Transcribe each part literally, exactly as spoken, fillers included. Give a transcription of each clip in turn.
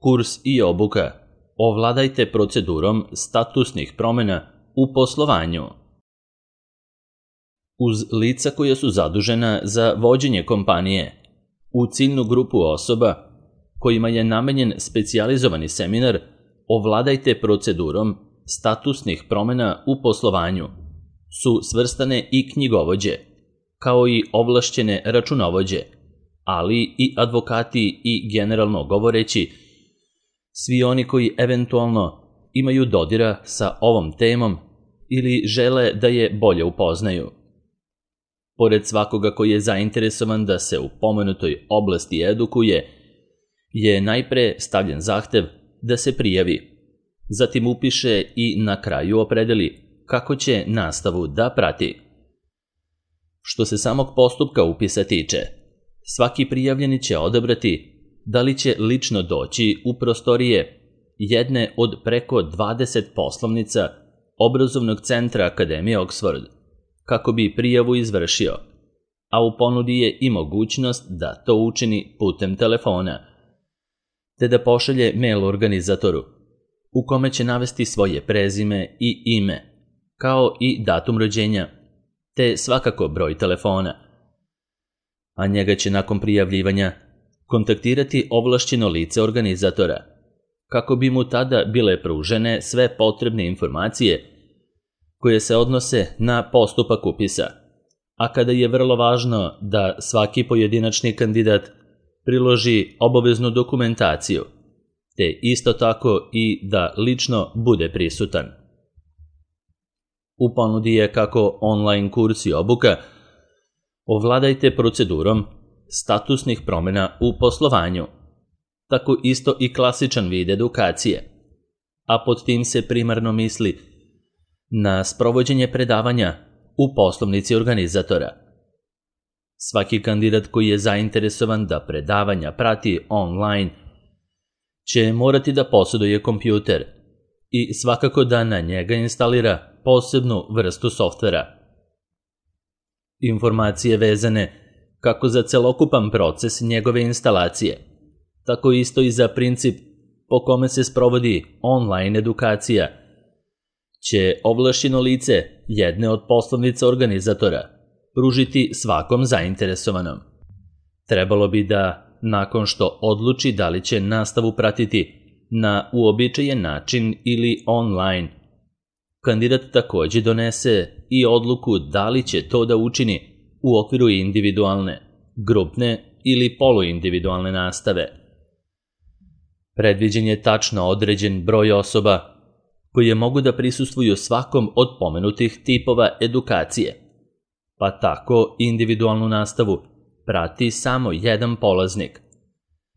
Kurs i obuka. Ovladajte procedurom statusnih promjena u poslovanju. Uz lica koja su zadužena za vođenje kompanije, u ciljnu grupu osoba kojima je namenjen specijalizovani seminar Ovladajte procedurom statusnih promjena u poslovanju su svrstane i knjigovođe, kao i ovlašćene računovođe, ali i advokati i generalno govoreći svi oni koji eventualno imaju dodira sa ovom temom ili žele da je bolje upoznaju. Pored svakoga koji je zainteresovan da se u pomenutoj oblasti edukuje, je najpre stavljen zahtev da se prijavi, zatim upiše i na kraju opredeli kako će nastavu da prati. Što se samog postupka upisa tiče, svaki prijavljeni će odabrati da li će lično doći u prostorije jedne od preko dvadeset poslovnica obrazovnog centra Akademije Oxford, kako bi prijavu izvršio, a u ponudi je i mogućnost da to učini putem telefona, te da pošalje mail organizatoru, u kome će navesti svoje prezime i ime, kao i datum rođenja, te svakako broj telefona. A njega će nakon prijavljivanja kontaktirati ovlašćeno lice organizatora, kako bi mu tada bile pružene sve potrebne informacije koje se odnose na postupak upisa, a kada je vrlo važno da svaki pojedinačni kandidat priloži obaveznu dokumentaciju, te isto tako i da lično bude prisutan. U ponudi je kako online kurs i obuka Ovladajte procedurom statusnih promjena u poslovanju, tako isto i klasičan vid edukacije, a pod tim se primarno misli na sprovođenje predavanja u poslovnici organizatora. Svaki kandidat koji je zainteresovan da predavanja prati online će morati da posjeduje kompjuter i svakako da na njega instalira posebnu vrstu softvera. Informacije vezane kako za celokupan proces njegove instalacije, tako isto i za princip po kome se sprovodi online edukacija, će ovlašćeno lice jedne od poslovnica organizatora pružiti svakom zainteresovanom. Trebalo bi da, nakon što odluči da li će nastavu pratiti na uobičajen način ili online, kandidat također donese i odluku da li će to da učini u okviru individualne, grupne ili poluindividualne nastave. Predviđen je tačno određen broj osoba koje mogu da prisustvuju svakom od pomenutih tipova edukacije, pa tako individualnu nastavu prati samo jedan polaznik.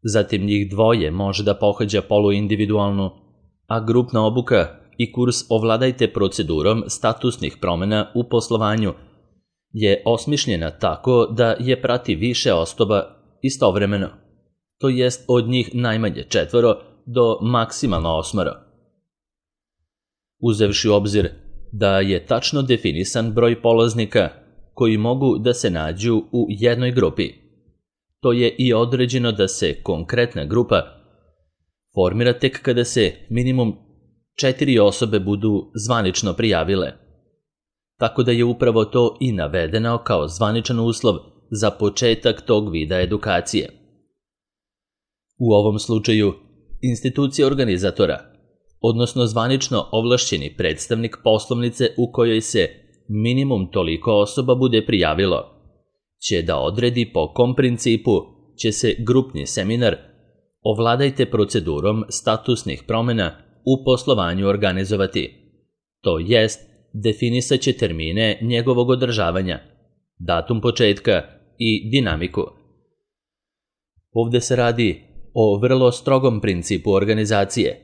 Zatim njih dvoje može da pohađa poluindividualnu, a grupna obuka i kurs Ovladajte procedurom statusnih promjena u poslovanju je osmišljena tako da je prati više osoba istovremeno, to jest od njih najmanje četvoro do maksimalno osmoro. Uzevši u obzir da je tačno definisan broj polaznika koji mogu da se nađu u jednoj grupi, to je i određeno da se konkretna grupa formira tek kada se minimum četiri osobe budu zvanično prijavile, tako da je upravo to i navedeno kao zvaničan uslov za početak tog vida edukacije. U ovom slučaju, institucija organizatora, odnosno zvanično ovlašćeni predstavnik poslovnice u kojoj se minimum toliko osoba bude prijavilo, će da odredi po kom principu će se grupni seminar Ovladajte procedurom statusnih promjena u poslovanju organizovati, to jest definisat će termine njegovog održavanja, datum početka i dinamiku. Ovdje se radi o vrlo strogom principu organizacije,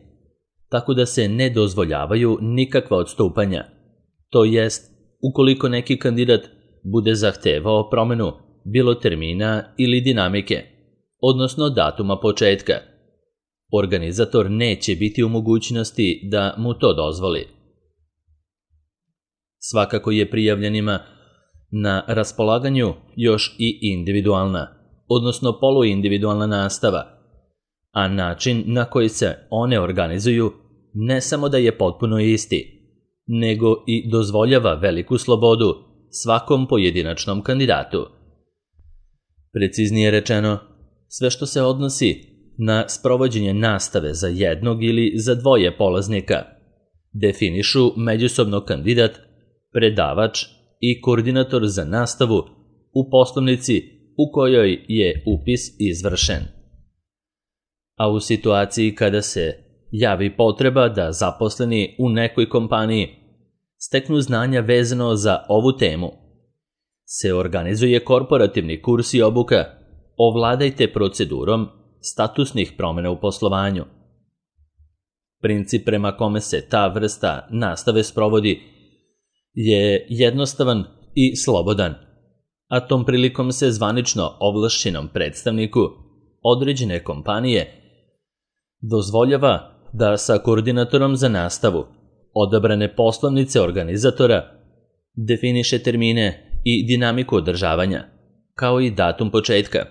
tako da se ne dozvoljavaju nikakva odstupanja, to jest ukoliko neki kandidat bude zahtevao promjenu bilo termina ili dinamike, odnosno datuma početka, organizator neće biti u mogućnosti da mu to dozvoli. Svakako je prijavljenima na raspolaganju još i individualna, odnosno poluindividualna nastava, a način na koji se one organizuju ne samo da je potpuno isti, nego i dozvoljava veliku slobodu svakom pojedinačnom kandidatu. Preciznije rečeno, sve što se odnosi na sprovođenje nastave za jednog ili za dvoje polaznika definišu međusobno kandidat, predavač i koordinator za nastavu u poslovnici u kojoj je upis izvršen. A u situaciji kada se javi potreba da zaposleni u nekoj kompaniji steknu znanja vezano za ovu temu, se organizuje korporativni kurs i obuka Ovladajte procedurom statusnih promjena u poslovanju. Princip prema kome se ta vrsta nastave sprovodi je jednostavan i slobodan, a tom prilikom se zvanično ovlašćenom predstavniku određene kompanije dozvoljava da sa koordinatorom za nastavu odabrane poslovnice organizatora definiše termine i dinamiku održavanja, kao i datum početka,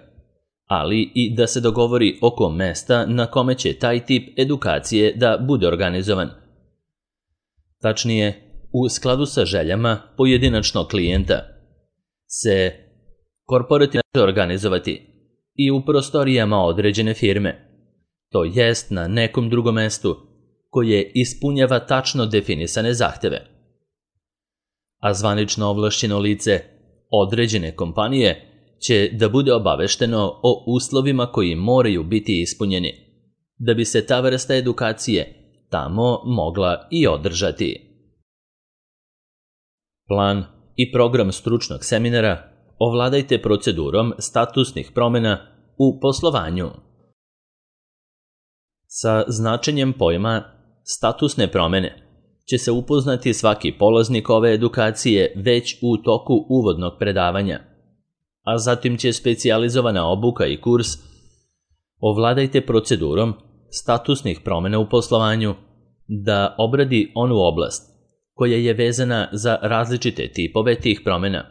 ali i da se dogovori oko mesta na kome će taj tip edukacije da bude organizovan. Tačnije, u skladu sa željama pojedinačnog klijenta se korporativno organizovati i u prostorijama određene firme, to jest na nekom drugom mestu koje ispunjava tačno definisane zahteve. A zvanično ovlašćeno lice određene kompanije će da bude obavešteno o uslovima koji moraju biti ispunjeni, da bi se ta vrsta edukacije tamo mogla i održati. Plan i program stručnog seminara Ovladajte procedurom statusnih promjena u poslovanju. Sa značenjem pojma statusne promjene će se upoznati svaki polaznik ove edukacije već u toku uvodnog predavanja, a zatim će specijalizovana obuka i kurs Ovladajte procedurom statusnih promjena u poslovanju da obradi onu oblast koja je vezana za različite tipove tih promjena,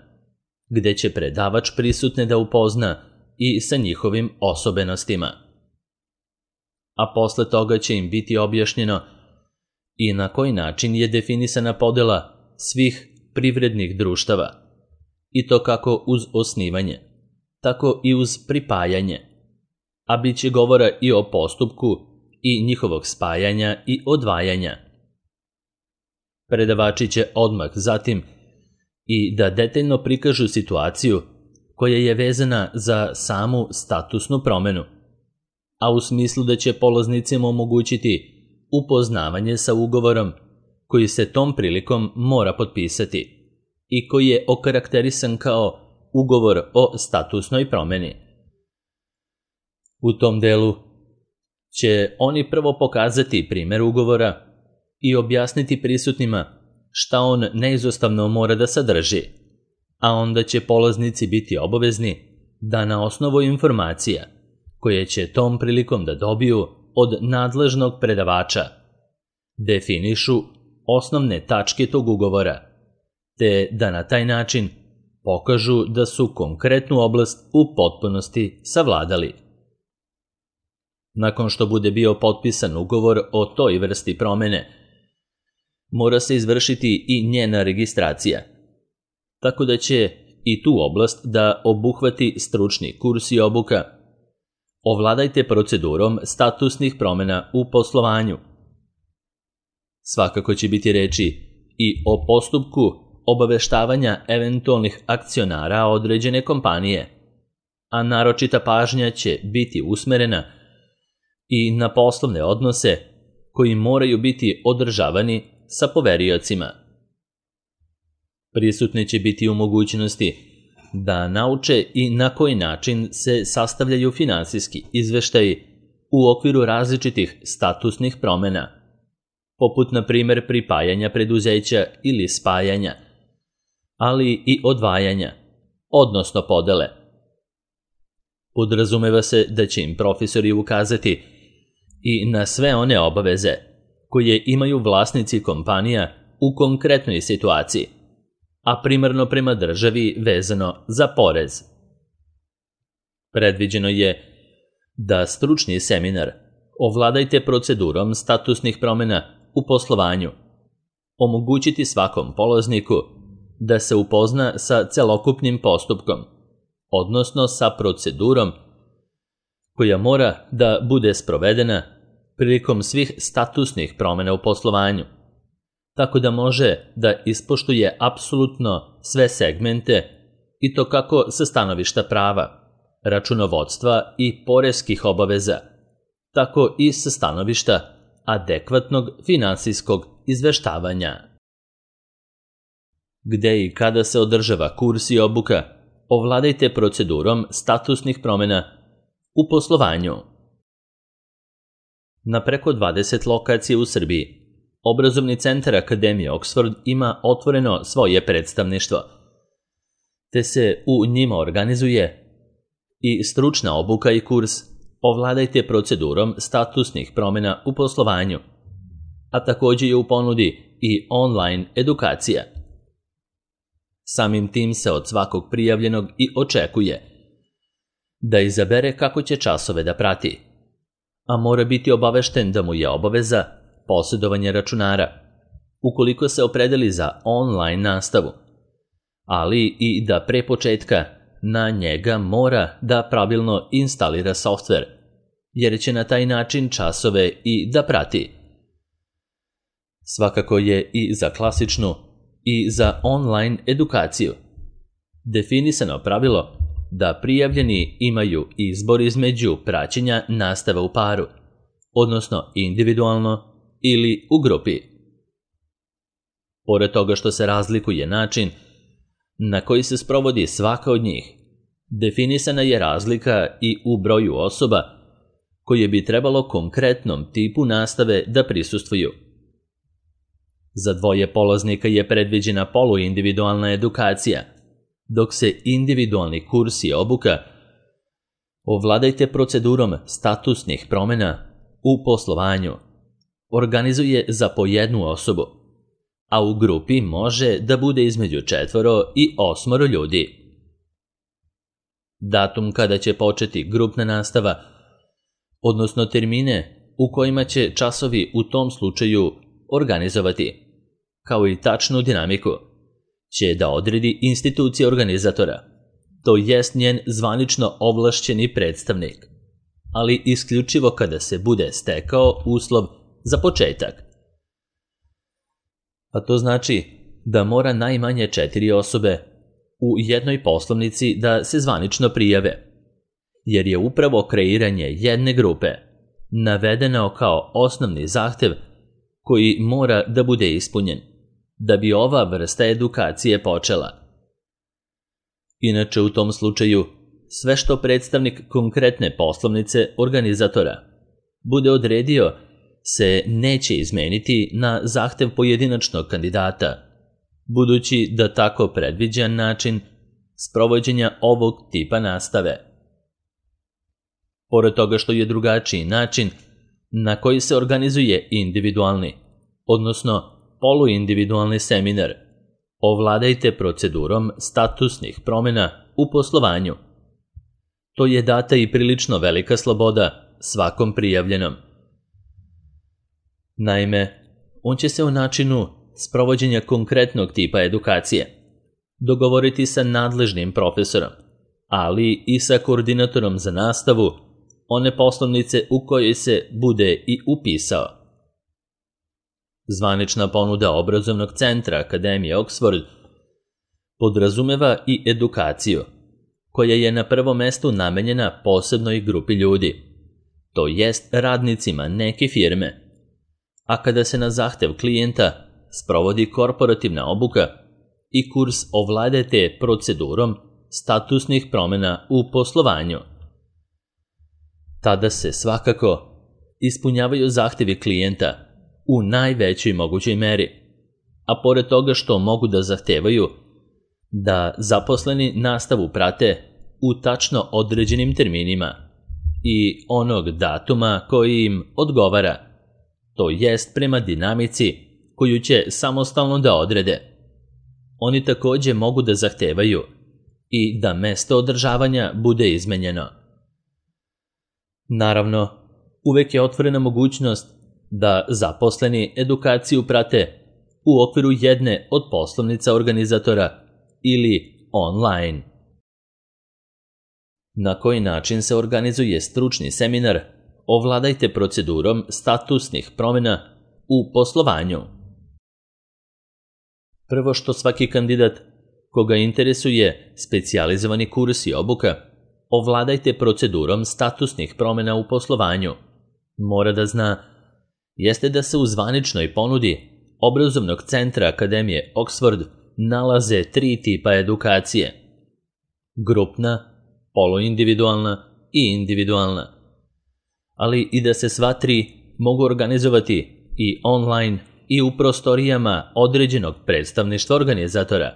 gde će predavač prisutne da upozna i sa njihovim osobenostima. A posle toga će im biti objašnjeno i na koji način je definisana podela svih privrednih društava, i to kako uz osnivanje, tako i uz pripajanje, a bit će govora i o postupku i njihovog spajanja i odvajanja. Predavači će odmah zatim i da detaljno prikažu situaciju koja je vezana za samu statusnu promjenu, a u smislu da će polaznicima omogućiti upoznavanje sa ugovorom koji se tom prilikom mora potpisati i koji je okarakterisan kao ugovor o statusnoj promjeni. U tom delu će oni prvo pokazati primjer ugovora i objasniti prisutnima šta on neizostavno mora da sadrži, a onda će polaznici biti obavezni da na osnovu informacija koje će tom prilikom da dobiju od nadležnog predavača definišu osnovne tačke tog ugovora, te da na taj način pokažu da su konkretnu oblast u potpunosti savladali. Nakon što bude bio potpisan ugovor o toj vrsti promjene, mora se izvršiti i njena registracija, tako da će i tu oblast da obuhvati stručni kurs i obuka Ovladajte procedurom statusnih promjena u poslovanju. Svakako će biti reči i o postupku obaveštavanja eventualnih akcionara određene kompanije, a naročita pažnja će biti usmerena i na poslovne odnose koji moraju biti održavani sa poveriocima. Prisutni će biti u mogućnosti da nauče i na koji način se sastavljaju finansijski izveštaji u okviru različitih statusnih promjena, poput na primjer pripajanja preduzeća ili spajanja, ali i odvajanja, odnosno podele. Podrazumeva se da će im profesori ukazati i na sve one obaveze koje imaju vlasnici kompanija u konkretnoj situaciji, a primarno prema državi vezano za porez. Predviđeno je da stručni seminar Ovladajte procedurom statusnih promjena u poslovanju. Omogućiti svakom polazniku da se upozna sa celokupnim postupkom, odnosno sa procedurom koja mora da bude sprovedena prilikom svih statusnih promjena u poslovanju, tako da može da ispoštuje apsolutno sve segmente i to kako sa stanovišta prava, računovodstva i poreskih obaveza, tako i sa stanovišta adekvatnog finansijskog izveštavanja. Gde i kada se održava kurs i obuka, ovladajte procedurom statusnih promjena u poslovanju. Na preko dvadeset lokacija u Srbiji, Obrazovni centar Akademije Oxford ima otvoreno svoje predstavništvo, te se u njima organizuje i stručna obuka i kurs Ovladajte procedurom statusnih promjena u poslovanju, a također je u ponudi i online edukacija. Samim tim se od svakog prijavljenog i očekuje da izabere kako će časove da prati, a mora biti obavešten da mu je obaveza posjedovanje računara, ukoliko se opredeli za online nastavu, ali i da pre početka na njega mora da pravilno instalira softver, jer će na taj način časove i da prati. Svakako je i za klasičnu i za online edukaciju definisano pravilo da prijavljeni imaju izbor između praćenja nastave u paru, odnosno individualno ili u grupi. Pored toga što se razlikuje način na koji se sprovodi svaka od njih, definisana je razlika i u broju osoba koje bi trebalo konkretnom tipu nastave da prisustvuju. Za dvoje polaznika je predviđena poluindividualna edukacija, dok se individualni kurs i obuka Ovladajte procedurom statusnih promjena u poslovanju organizuje za po jednu osobu, a u grupi može da bude između četvoro i osmoro ljudi. Datum kada će početi grupna nastava, odnosno termine u kojima će časovi u tom slučaju organizovati, kao i tačnu dinamiku, će da odredi institucija organizatora, to jest njen zvanično ovlašćeni predstavnik, ali isključivo kada se bude stekao uslov za početak. A to znači da mora najmanje četiri osobe u jednoj poslovnici da se zvanično prijave, jer je upravo kreiranje jedne grupe navedeno kao osnovni zahtev koji mora da bude ispunjen da bi ova vrsta edukacije počela. Inače, u tom slučaju, sve što predstavnik konkretne poslovnice organizatora bude odredio se neće izmeniti na zahtev pojedinačnog kandidata, budući da tako predviđan način sprovođenja ovog tipa nastave. Pored toga što je drugačiji način na koji se organizuje individualni, odnosno poluindividualni seminar, ovladajte procedurom statusnih promjena u poslovanju. To je data i prilično velika sloboda svakom prijavljenom. Naime, on će se o načinu sprovođenja konkretnog tipa edukacije dogovoriti sa nadležnim profesorom, ali i sa koordinatorom za nastavu one poslovnice u kojoj se bude i upisao. Zvanična ponuda Obrazovnog centra Akademije Oxford podrazumeva i edukaciju, koja je na prvom mestu namenjena posebnoj grupi ljudi, to jest radnicima neke firme, a kada se na zahtev klijenta sprovodi korporativna obuka i kurs ovladajte procedurom statusnih promjena u poslovanju. Tada se svakako ispunjavaju zahtevi klijenta u najvećoj mogućoj meri, a pored toga što mogu da zahtevaju da zaposleni nastavu prate u tačno određenim terminima i onog datuma koji im odgovara, to jest prema dinamici koju će samostalno da odrede. Oni također mogu da zahtevaju i da mesto održavanja bude izmenjeno. Naravno, uvek je otvorena mogućnost da zaposleni edukaciju prate u okviru jedne od poslovnica organizatora ili online. Na koji način se organizuje stručni seminar Ovladajte procedurom statusnih promjena u poslovanju? Prvo što svaki kandidat koga interesuje specijalizovani kurs i obuka Ovladajte procedurom statusnih promjena u poslovanju mora da zna jeste da se u zvaničnoj ponudi obrazovnog centra Akademije Oxford nalaze tri tipa edukacije: grupna, poluindividualna i individualna, ali i da se sva tri mogu organizovati i online i u prostorijama određenog predstavništva organizatora.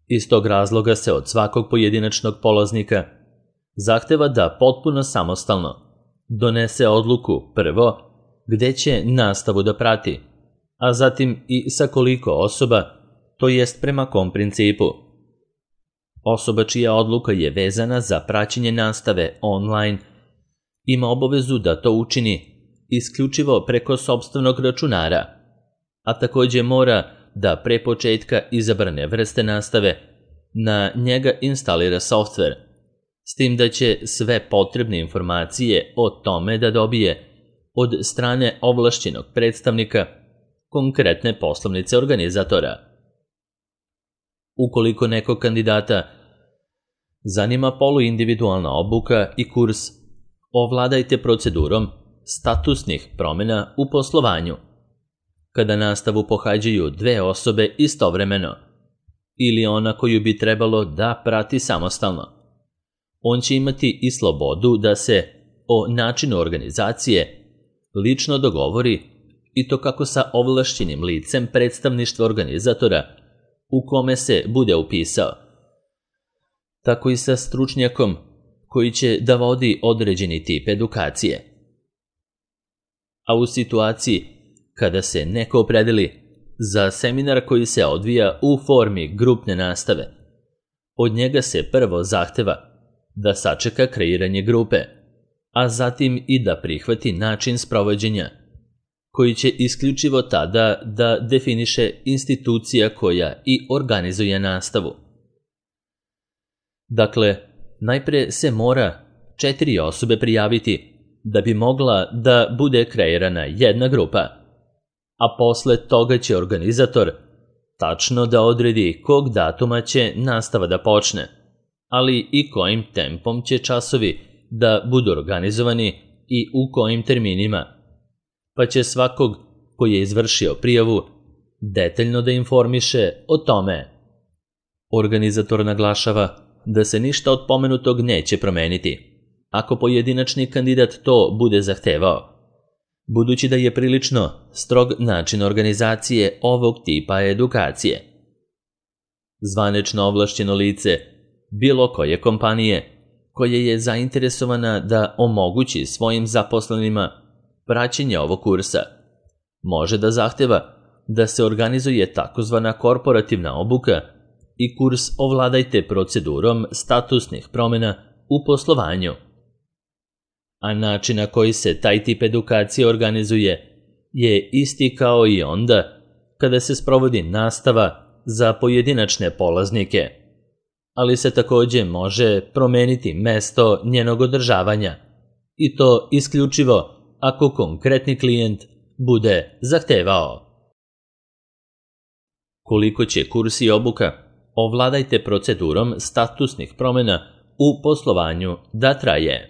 Iz tog razloga se od svakog pojedinačnog polaznika zahteva da potpuno samostalno donese odluku prvo gde će nastavu da prati, a zatim i sa koliko osoba, to jest prema kom principu. Osoba čija odluka je vezana za praćenje nastave online ima obavezu da to učini isključivo preko sopstvenog računara, a takođe mora da pre početka izabrane vrste nastave na njega instalira softver, s tim da će sve potrebne informacije o tome da dobije od strane ovlašćenog predstavnika konkretne poslovnice organizatora. Ukoliko nekog kandidata zanima poluindividualna obuka i kurs Ovladajte procedurom statusnih promjena u poslovanju, kada nastavu pohađaju dve osobe istovremeno ili ona koju bi trebalo da prati samostalno, on će imati i slobodu da se o načinu organizacije lično dogovori i to kako sa ovlašćenim licem predstavništva organizatora u kome se bude upisao, tako i sa stručnjakom koji će da vodi određeni tip edukacije. A u situaciji kada se neko opredeli za seminar koji se odvija u formi grupne nastave, od njega se prvo zahteva da sačeka kreiranje grupe, a zatim i da prihvati način sprovođenja, koji će isključivo tada da definiše institucija koja i organizuje nastavu. Dakle, najpre se mora četiri osobe prijaviti da bi mogla da bude kreirana jedna grupa, a posle toga će organizator tačno da odredi kog datuma će nastava da počne, ali i kojim tempom će časovi da budu organizovani i u kojim terminima, pa će svakog koji je izvršio prijavu detaljno da informiše o tome. Organizator naglašava da se ništa od pomenutog neće promeniti ako pojedinačni kandidat to bude zahtevao, budući da je prilično strog način organizacije ovog tipa edukacije. Zvanično ovlašćeno lice bilo koje kompanije koja je zainteresovana da omogući svojim zaposlenima praćenje ovog kursa može da zahteva da se organizuje takozvana korporativna obuka i kurs Ovladajte procedurom statusnih promjena u poslovanju. A način na koji se taj tip edukacije organizuje je isti kao i onda kada se sprovodi nastava za pojedinačne polaznike, ali se takođe može promeniti mesto njenog održavanja, i to isključivo ako konkretni klijent bude zahtevao. Koliko će kurs i obuka Ovladajte procedurom statusnih promjena u poslovanju da traje?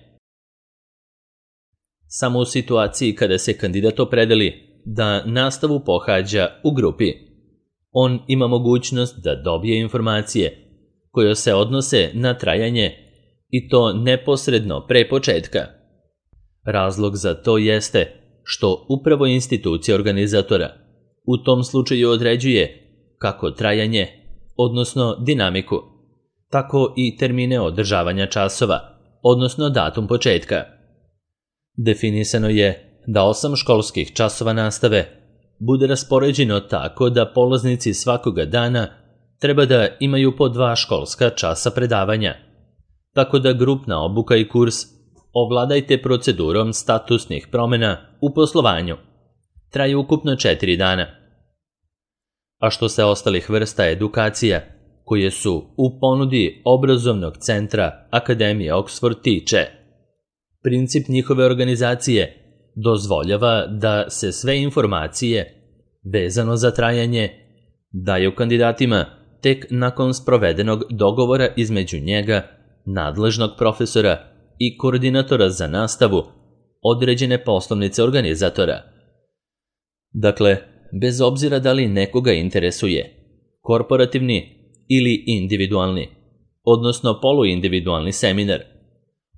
Samo u situaciji kada se kandidat opredeli da nastavu pohađa u grupi, on ima mogućnost da dobije informacije koje se odnose na trajanje i to neposredno pre početka. Razlog za to jeste što upravo institucija organizatora u tom slučaju određuje kako trajanje, odnosno dinamiku, tako i termine održavanja časova, odnosno datum početka. Definisano je da osam školskih časova nastave bude raspoređeno tako da polaznici svakoga dana treba da imaju po dva školska časa predavanja, tako da grupna obuka i kurs ovladajte procedurom statusnih promjena u poslovanju. Traje ukupno četiri dana. A što se ostalih vrsta edukacija, koje su u ponudi obrazovnog centra Akademije Oxford tiče, princip njihove organizacije dozvoljava da se sve informacije vezano za trajanje daju kandidatima tek nakon sprovedenog dogovora između njega, nadležnog profesora i koordinatora za nastavu određene poslovnice organizatora. Dakle, bez obzira da li nekoga interesuje korporativni ili individualni, odnosno poluindividualni seminar,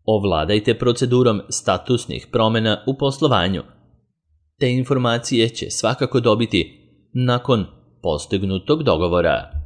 ovladajte procedurom statusnih promjena u poslovanju. Te informacije će svakako dobiti nakon postignutog dogovora.